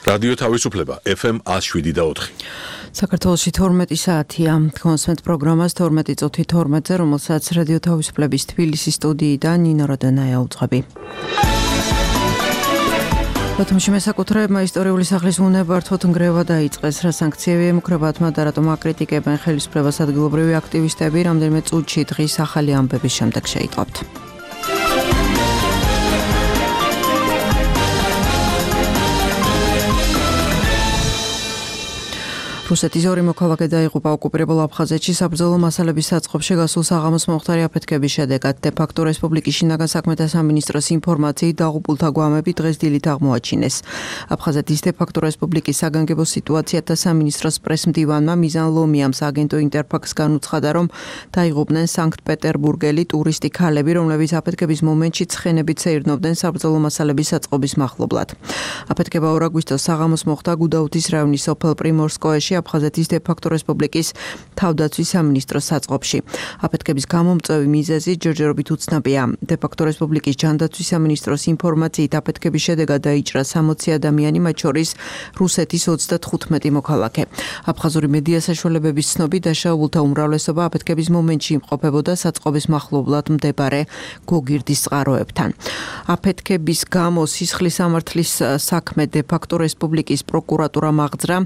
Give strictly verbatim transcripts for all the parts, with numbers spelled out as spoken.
რადიო თავისუფლება ეფ ემ ათს შვიდი და ოთხი. საქართველოში თორმეტი საათია. კონსვენთ პროგრამას თორმეტი წუთი თორმეტზე, რომელსაც რადიო თავისუფლების თბილისის სტუდიიდან ნინო როდონაია უძღვები. ბათუმში მესაკუთრეებმა ისტორიული სახლის უნებართვოდ ნგრევა დაიწყეს. რა სანქციები ემუქრებათ მათ და რატომ აკრიტიკებენ ხელისუფლებას ადგილობრივი აქტივისტები, რამდენიმე წუთში დღის ახალი ამბების შემდეგ შეიტყობთ. რუსეთის ორი მოქალაქე დაიღუპა ოკუპირებულ აფხაზეთში საბრძოლო მასალების საწყობში გასულ საღამოს მომხდარი აფეთქების შედეგად. დე-ფაქტო რესპუბლიკის შინაგან საქმეთა სამინისტროს ინფორმაციით დაღუპულთა გვამები დღეს დილით აღმოაჩინეს. აფხაზეთის დე-ფაქტო რესპუბლიკის საგანგებო სიტუაციათა სამინისტროს პრესმდივანმა მიზან ლომიამს აგენტო ინტერფაქს განუცხადა, რომ დაიღუპნენ სანქტ-პეტერბურგელი ტურისტი ქალები, რომლებიც აფეთქების მომენტში ცხენებით სეირნობდნენ საბრძოლო მასალების საწყობის მახლობლად. აფეთქება ორ აგვისტოს საღამოს მოხდა გუდაუთის რაიონის სოფელ პრიმორსკოეში, აფხაზეთის დე-ფაქტო რესპუბლიკის თავდაცვის სამინისტროს საწყობში. აფეთქების გამომწვევი მიზეზი ჯერჯერობით უცნობია. დე-ფაქტო რესპუბლიკის ჯანდაცვის სამინისტროს ინფორმაციით აფეთქების შედეგად დაიჭრა სამოცი ადამიანი, მათ შორის რუსეთის ოცდათხუთმეტი მოქალაქე. აფხაზური მედია საშუალებების ცნობით, დაშავებულთა უმრავლესობა აფეთქების მომენტში იმყოფებოდა საწყობის მახლობლად მდებარე გოგირდის წყაროებთან. აფეთქების გამო სისხლის სამართლის საქმე დე-ფაქტო რესპუბლიკის პროკურატურამ აღძრა.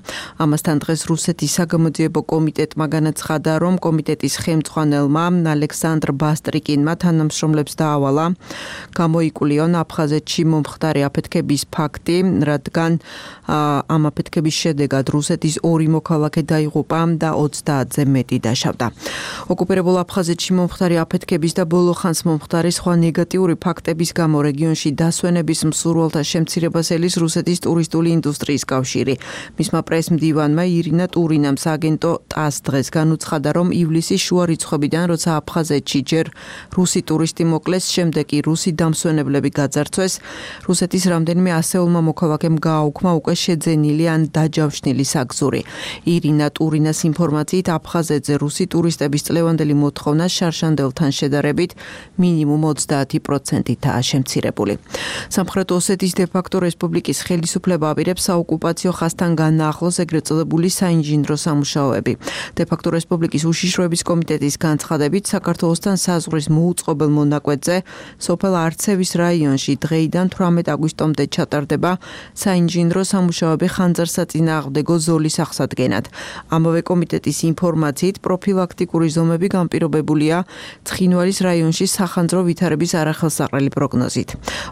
ამასთან დღეს რუსეთის საგამოძიებო კომიტეტმა განაცხადა, რომ კომიტეტის ხელმძღვანელმა ალექსანდრ ბასტრიკინმა თანამშრომლებს დაავალა გამოიკულიონ აფხაზეთში მომხდარი აფეთქების ფაქტი, რადგან ამ აფეთქების შედეგად რუსეთის ორი მოქალაქე დაიღუპა და ოცდაათზე მეტი დაშავდა. ოკუპირებულ აფხაზეთში მომხდარი აფეთქების და ბოლო ხანს მომხდარი სხვა ნეგატიური ფაქტების გამო რეგიონში დასვენების მსურველთა შემცირებას ელის რუსეთის ტურისტული ინდუსტრიის კავშირი. მისმა პრესმდივანმა ირინა ტურინამ სააგენტო ტას დღეს განუცხადა, რომ ივლისის შუა რიცხვებიდან, როცა აფხაზეთში ჯერ რუსი ტურისტი მოკლეს, შემდეგ კი რუსი დამსვენებლები გაძარცვეს, რუსეთის რამდენიმე ასეულმა მოქალაქემ გააუქმა უკვე შეძენილი ან დაჯავშნილი საგზური. ირინა ტურინას ინფორმაციით, აფხაზეთზე რუსი ტურისტების წლევანდელი მოთხოვნა შარშანდელთან შედარებით მინიმუმ ოცდაათი პროცენტითაა შემცირებული. სამხრეთ ოსეთის დე-ფაქტო რესპუბლიკის ხელისუფლება აპირებს საოკუპაციო ხაზთან განაახლოს ეგრეთ წოდებული საინჟინრო სამუშაოები. დე-ფაქტო რესპუბლიკის უშიშროების კომიტეტის განცხადებით, საქართველოსთან საზღვრის მოუწყობელ მონაკვეთზე სოფელ არცევის რაიონში დღეიდან თვრამეტ აგვისტომდე ჩატარდება საინჟინრო სამუშაოები ხანძარსაწინააღმდეგო ზოლის აღსადგენად. ამავე კომიტეტის ინფორმაციით, პროფილაქტიკური ზომები განპირობებულია ცხინვალის რაიონში სახანძრო ვითარების არახელსაყრელი პროგნოზით.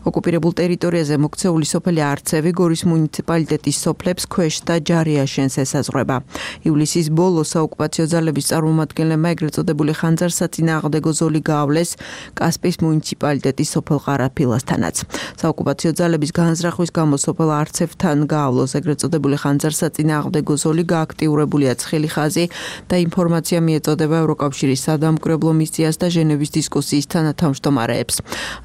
ოკუპირებულ ტერიტორიაზე მოქცეული სოფელი არცევი გორის მუნიციპალიტეტის სოფლებს ქვეშ და ჯარიაშენს ესაზღვრება. ივლისის ბოლოს საოკუპაციო ძალების წარმომადგენლებმა ეგრეთ წოდებული ხანძარსაწინააღმდეგო ზოლი გაავლეს კასპიის მუნიციპალიტეტის სოფელ ყარაფილასთანაც. საოკუპაციო ძალების განზრახვის გამო სოფელ არცევთან გაავლოს ეგრეთ წოდებული ხანძარსაწინააღმდეგო ზოლი გააქტიურებულია ცხელი ხაზი და ინფორმაცია მიეწოდება ევროკავშირის სადამკვირვებლო მისიას და ჟენევის დისკუსიის თანათავმჯდომარეებს.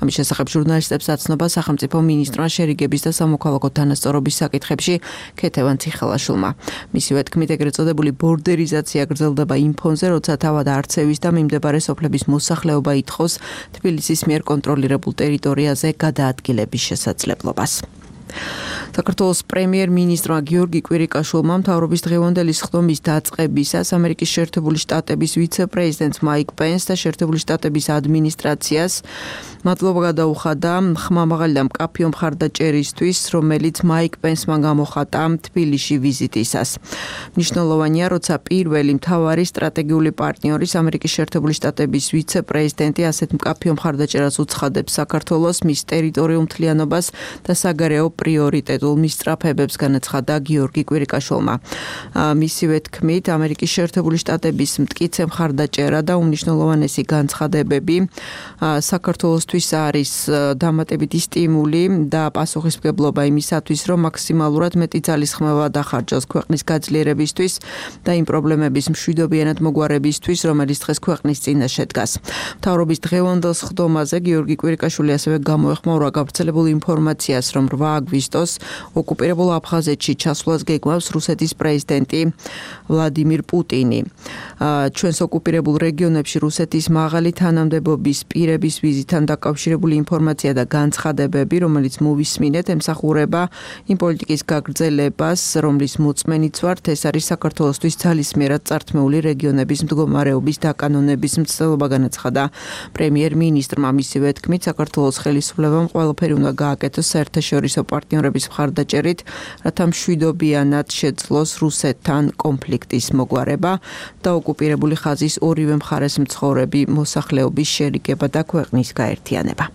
ამის შესახებ ჟურნალისტებს აცნობა სახელმწიფო მინისტრმა შერიგების და სამოქალაქო თანასწორობის საკითხებში ქეთევან ციხელაშვილმა. მისივე თქმით, ეგრეთ წოდებული ბორდერიზაცია გრძელდება იმ ფონზე, როცა თავად არცევის და მიმდებარე სოფლების მოსახლეობა ითხოვს თბილისის მიერ კონტროლირებულ ტერიტორიაზე გადაადგილების შესაძლებლობას. საქართველოს პრემიერ-მინისტრმა გიორგი კვირიკაშვილმა მთავრობის დღევანდელი სხდომის დაწყებისას ამერიკის შეერთებული შტატების ვიცე-პრეზიდენტ მაიკ პენს და შეერთებული შტატების ადმინისტრაციას მადლობა გადაუხადა ხმამაღალი და მკაფიო მხარდაჭერისთვის, რომელიც მაიკ პენსმა გამოხატა თბილისში ვიზიტისას. მნიშვნელოვანია, როცა პირველი მთავარი სტრატეგიული პარტნიორის ამერიკის შეერთებული შტატების ვიცე-პრეზიდენტი ასეთ მკაფიო მხარდაჭერას უცხადებს საქართველოს, მის ტერიტორიულ მთლიანობას და საგარეო პრიორიტეტულ მისწრაფებებს, განაცხადა გიორგი კვირიკაშვილმა. მისივე თქმით, ამერიკის შეერთებული შტატების მტკიცე მხარდაჭერა და უმნიშვნელოვანესი განცხადებები საქართველოსთვის არის დამატებითი სტიმული და პასუხისმგებლობა იმისათვის, რომ მაქსიმალურად მეტი ძალისხმევა დახარჯოს ქვეყნის გაძლიერებისთვის და იმ პრობლემების მშვიდობიანად მოგვარებისთვის, რომელიც დღეს ქვეყნის წინაშე დგას. მთავრობის დღევანდელ სხდომაზე გიორგი კვირიკაშვილი ასევე გამოეხმაურა გავრცელებულ ინფორმაციას, რომ რვა აგვისტოს ოკუპირებულ აფხაზეთში ჩასვლას გეგმავს რუსეთის პრეზიდენტი ვლადიმირ პუტინი. ჩვენს ოკუპირებულ რეგიონებში რუსეთის მაღალი თანამდებობის პირების ვიზიტთან დაკავშირებული ინფორმაცია და განცხადებები, რომელიც მოვისმინეთ, ემსახურება იმ პოლიტიკის გაგრძელებას, რომლის მოწმენიც ვართ, ეს არის საქართველოსთვის ძალისმიერად წართმეული რეგიონების მდგომარეობის დაკანონების მცდელობა, განაცხადა პრემიერ-მინისტრმა. მისივე თქმით, საქართველოს ხელისუფლებამ ყველაფერი უნდა გააკეთოს საერთაშორისო პარტნიორების მხარდაჭერით, რათა მშვიდობიანად შეძლოს რუსეთთან კონფლიქტის მოგვარება და ოკუპირებული ხაზის ორივე მხარეს მცხოვრები მოსახლეობის შერიგება და ქვეყნის გაერთიანება.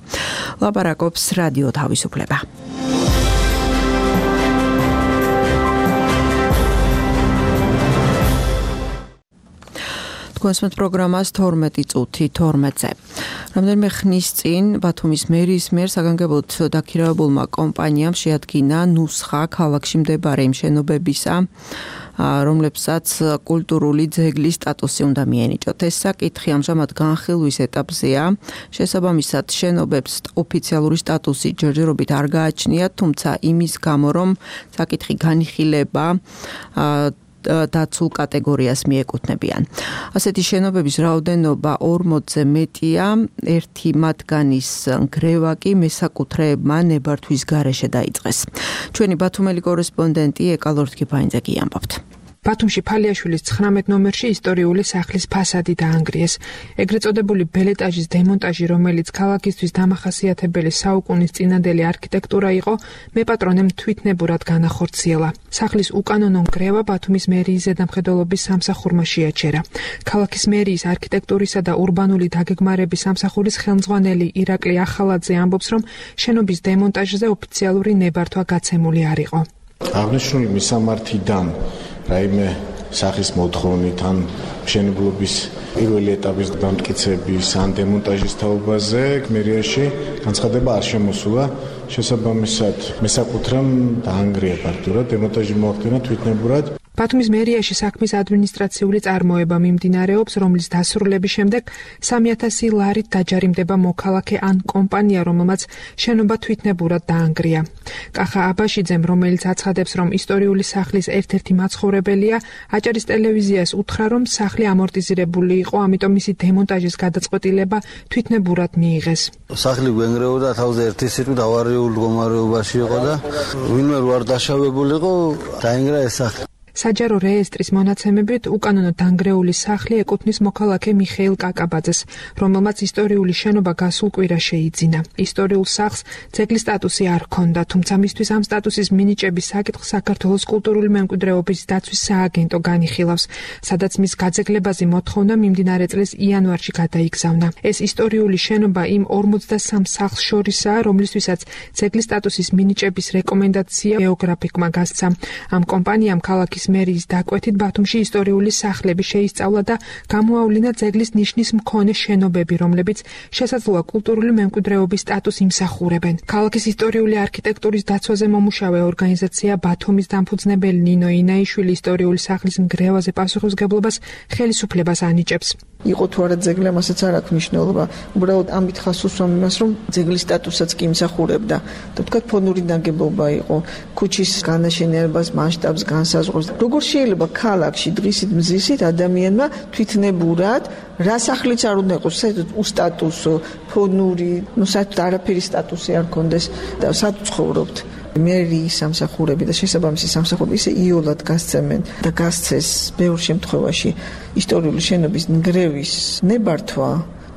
ლაპარაკობს რადიო თავისუფლება. თქვენსმეთ პროგრამას თორმეტი წუთი თორმეტზე. რამდენიმე ხნის წინ ბათუმის მერის მიერ საგანგებოდ დაქირავებულმა კომპანიამ შეადგინა ნუსხა ქალაქში მდებარე იმ შენობებისა, რომლებსაც კულტურული ძეგლის სტატუსი უნდა მიენიჭოთ. ეს საკითხი ამჟამად განხილვის ეტაპზეა. შესაბამისად, შენობებს ოფიციალური სტატუსი ჯერჯერობით არ გააჩნიათ, თუმცა იმის გამო, რომ საკითხი განიხილება დაცულ კატეგორიას მიეკუთვნებიან. ასეთი შენობების რაოდენობა ორმოცზე მეტია, ერთი მათგანის ნგრევა კი მესაკუთრეებმა ნებართვის გარეშე დაიწყეს. ჩვენი ბათუმელი კორესპონდენტი ეკალორთ კიფაინძე ამბობთ. ბათუმში ფალიაშვილის ცხრამეტ ნომერში ისტორიული სახლის ფასადი დაანგრიეს. ეგრეთ წოდებული ბელეტაჟის დემონტაჟი, რომელიც ქალაქისთვის დამახასიათებელი საუკუნის წინადელი არქიტექტურა იყო, მეპატრონემ თვითნებურად განახორციელა. სახლის უკანონო ნგრევა ბათუმის მერიის ზედამხედველობის სამსახურმა შეაჩერა. ქალაქის მერიის არქიტექტურისა და ურბანული დაგეგმარების სამსახურის ხელმძღვანელი ირაკლი ახალაძე ამბობს, რომ შენობის დემონტაჟზე ოფიციალური ნებართვა გაცემული არ იყო. აღნიშნული მისამართიდან რაიმე სახის მოთხოვნით ან მშენებლობის პირველი ეტაპის დამტკიცების ან დემონტაჟის თაობაზე მერიაში განცხადება არ შემოსულა. შესაბამისად, მესაკუთრემ დაანგრია ფაქტურად, დემონტაჟი მოახდინა თვითნებურად. ბათუმის მერიაში საქმის ადმინისტრაციული წარმოება მიმდინარეობს, რომლის დასრულების შემდეგ სამი ათასი ლარით დაჯარიმდება მოქალაქე ან კომპანია, რომელმაც შენობა თვითნებურად დაანგრია. კახა აბაშიძემ, რომელიც აცხადებს, რომ ისტორიული სახლის ერთ-ერთი მაცხოვრებელია, აჭარის ტელევიზიას უთხრა, რომ სახლი ამორტიზირებული იყო, ამიტომ მისი დემონტაჟის გადაწყვეტილება თვითნებურად მიიღეს. სახლი გვენგრეოდა თავზე ერთი სიტყვით ავარიულ მდგომარეობაში იყო და ვინმე რო არ დაშავებულიყო, დაინგრა ეს სახლი. საჯარო რეესტრის მონაცემებით უკანონო დანგრეული სახლი ეკუთვნის მოქალაქე მიხეილ კაკაბაძეს, რომელმაც ისტორიული შენობა გასულ კვირას შეიძინა. ისტორიულ სახლს ძეგლის სტატუსი არ ჰქონდა, თუმცა მისთვის ამ სტატუსის მინიჭების საკითხს საქართველოს კულტურული მემკვიდრეობის დაცვის სააგენტო განიხილავს, სადაც მის გაძეგლებაზე მოთხოვნა მიმდინარე წლის იანვარში გადაიგზავნა. ეს ისტორიული შენობა იმ ორმოცდასამ სახლს შორისაა, რომლისთვისაც ძეგლის სტატუსის მინიჭების რეკომენდაცია გეოგრაფიკმა გასცა. ამ კომპანიამ ქალაქის მერიის დაკვეთით ბათუმში ისტორიული სახლები შეისწავლა და გამოავლინა ძეგლის ნიშნის მქონე შენობები, რომლებიც შესაძლოა კულტურული მემკვიდრეობის სტატუსს იმსახურებენ. ქალაქის ისტორიული არქიტექტურის დაცვაზე მომუშავე ორგანიზაცია ბათუმის დამფუძნებელი ნინო ინაიშვილი ისტორიული სახლის ნგრევაზე პასუხისმგებლობას ხელისუფლებას ანიჭებს. იყო თუ არა ძეგლი, ამასაც არ აქვს მნიშვნელობა. უბრალოდ ამით ხას უსვამ იმას, რომ ძეგლის სტატუსაც კი იმსახურებდა. და თქვა ფონური ნაგებობა იყო, ქუჩის განაშენებას მასშტაბს განსაზღვრავს. როგორ შეიძლება ქალაქში დღისით მზისით ადამიანმა თვითნებურად რა სახლიც არ უნდა იყოს, საერთოდ უსტატუსო, ფონური, ну საერთოდ არაფერი სტატუსი არ კონდეს და სად ცხოვრობთ? მერიის სამსახურები და შესაბამისი სამსახურები ისე იოლად გასცემენ და გასცეს ბევრ შემთხვევაში ისტორიული შენობის ნგრევის ნებართვა,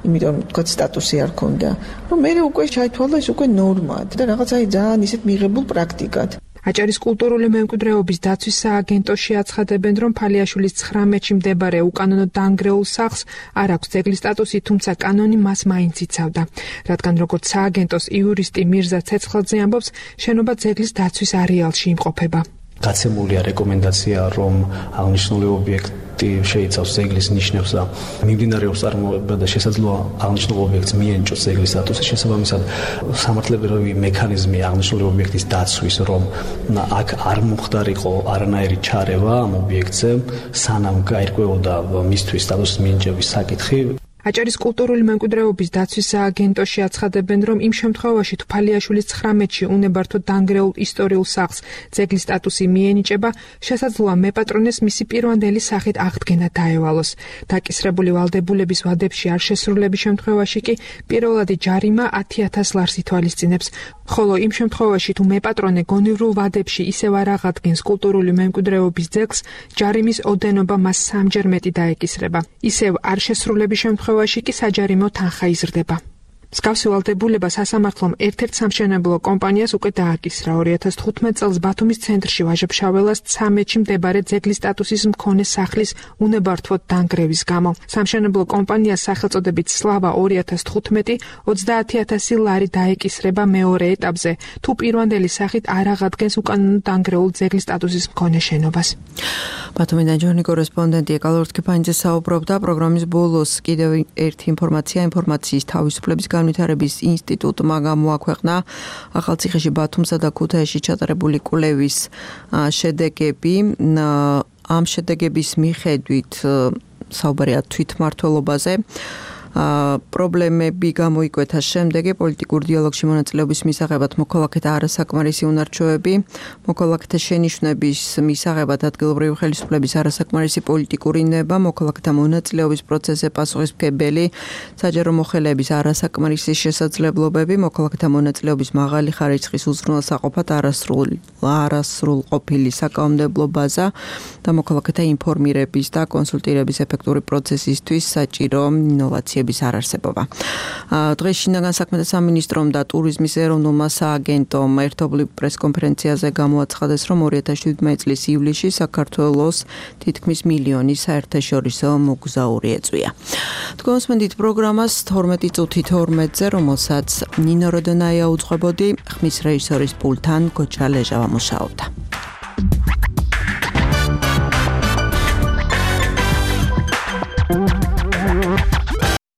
იმიტომ თქვა სტატუსი არ ქონდა, რომ მე უკვე ჩაითვალა ეს უკვე ნორმად და რაღაც აი ძალიან ისეთ მიღებულ პრაქტიკად. აჭარის კულტურული მემკვიდრეობის დაცვის სააგენტოში აცხადებენ, რომ ფალიაშვილის ცხრამეტში მდებარე უკანონო დანგრეულ სახლს არ აქვს ძეგლის სტატუსი, თუმცა კანონი მას მაინც იცავდა. რადგან როგორც სააგენტოს იურისტი მირზა ცეცხლაძე ამბობს, შენობა ძეგლის დაცვის არეალში იმყოფება. გაცემულია რეკომენდაცია, რომ აღნიშნული ობიექტი შეიცავს ძეგლის ნიშნებს და მიმდინარეობს წარმოება და შესაძლოა აღნიშნულ ობიექტს მიენიჭოს ძეგლის სტატუსი. შესაბამისად, სამართლებრივი მექანიზმი აღნიშნული ობიექტის დაცვის, რომ აქ არ მომხდარიყო არანაირი ჩარევა ამ ობიექტზე, სანამ გაირკვეოდა მისთვის სტატუსის მინიჭების საკითხი, აჭარის კულტურული მემკვიდრეობის დაცვის სააგენტოში აცხადებენ, რომ იმ შემთხვევაში თუ ფალიაშვილის ცხრამეტში უნებართვოდ დანგრეულ ისტორიულ სახლს ძეგლის სტატუსი მიენიჭება, შესაძლოა მეპატრონეს მისი პირვანდელი სახით აღდგენა დაევალოს. დაკისრებული ვალდებულების ვადებში არ შესრულების შემთხვევაში კი პირველადი ჯარიმა ათი ათას ლარს ითვალისწინებს, ხოლო იმ შემთხვევაში თუ მეპატრონე გონივრულ ვადებში ისევ არ აღადგენს კულტურული მემკვიდრეობის ძეგლს, ჯარიმის ოდენობა მას სამჯერ მეტი დაეკისრება. ისევ არ შესრულების შემთხვევაში კი საჯარიმო თანხა იზრდება. მსგავსი ვალდებულება სასამართლომ ერთ-ერთ სამშენებლო კომპანიას უკვე დააკისრა ორი ათას თხუთმეტ წელს ბათუმის ცენტრში ვაჟა-ფშაველას ცამეტში მდებარე ძეგლის სტატუსის მქონე სახლის უნებართვოდ დანგრევის გამო. სამშენებლო კომპანიას სახელწოდებით სლავა ორი ათას თხუთმეტი ოცდაათი ათასი ლარი დაეკისრება მეორე ეტაპზე, თუ პირვანდელი სახით არ აღადგენს უკანონო დანგრეულ ძეგლის სტატუსის მქონე შენობას. ბათუმიდან ჯორნი კორესპონდენტი ეკალო რთქიფანიძე საუბრობდა. პროგრამის ბოლოს კიდევ ერთი ინფორმაცია ინფორმაციის თავისუფლების განვითარების ინსტიტუტმა გამოაქვეყნა ახალციხეში, ბათუმსა და ქუთაისში ჩატარებული კვლევის შედეგები. ამ შედეგების მიხედვით საუბარია თვითმმართველობაზე. პრობლემები გამოიკვეთა შემდეგი: პოლიტიკურ დიალოგში მონაწილეობის მისაღებად მოქალაქეთა არასაკმარისი უნარჩვევები, მოქალაქეთა შენიშვნების მისაღებად ადგილობრივი ხელისუფლების არასაკმარისი პოლიტიკური ნება, მოქალაქეთა მონაწილეობის პროცესზე პასუხისმგებელი საჯარო მოხელეების არასაკმარისი შესაძლებლობები, მოქალაქეთა მონაწილეობის მაღალი ხარისხის უზრუნველსაყოფად არასრულ არასრულყოფილი საკანონმდებლო ბაზა და მოქალაქეთა ინფორმირების და კონსულტირების ეფექტური პროცესისთვის საჭირო ინოვაციების არარსებობა. დღეს შინაგან საქმეთა სამინისტრომ და ტურიზმის ეროვნულმა სააგენტომ ერთობლივ პრესკონფერენციაზე გამოაცხადეს, რომ ორი ათას შვიდმეტი წლის ივლისში საქართველოს თითქმის მილიონი საერთაშორისო მოგზაური ეწვია. თქვენსმენდით პროგრამას თორმეტი წუთი თორმეტზე, რომელსაც ნინო როდონაია უძღვებოდი, ხმის რეჟისორის პულთან გოჩა ლეჟავა მუშაობდა.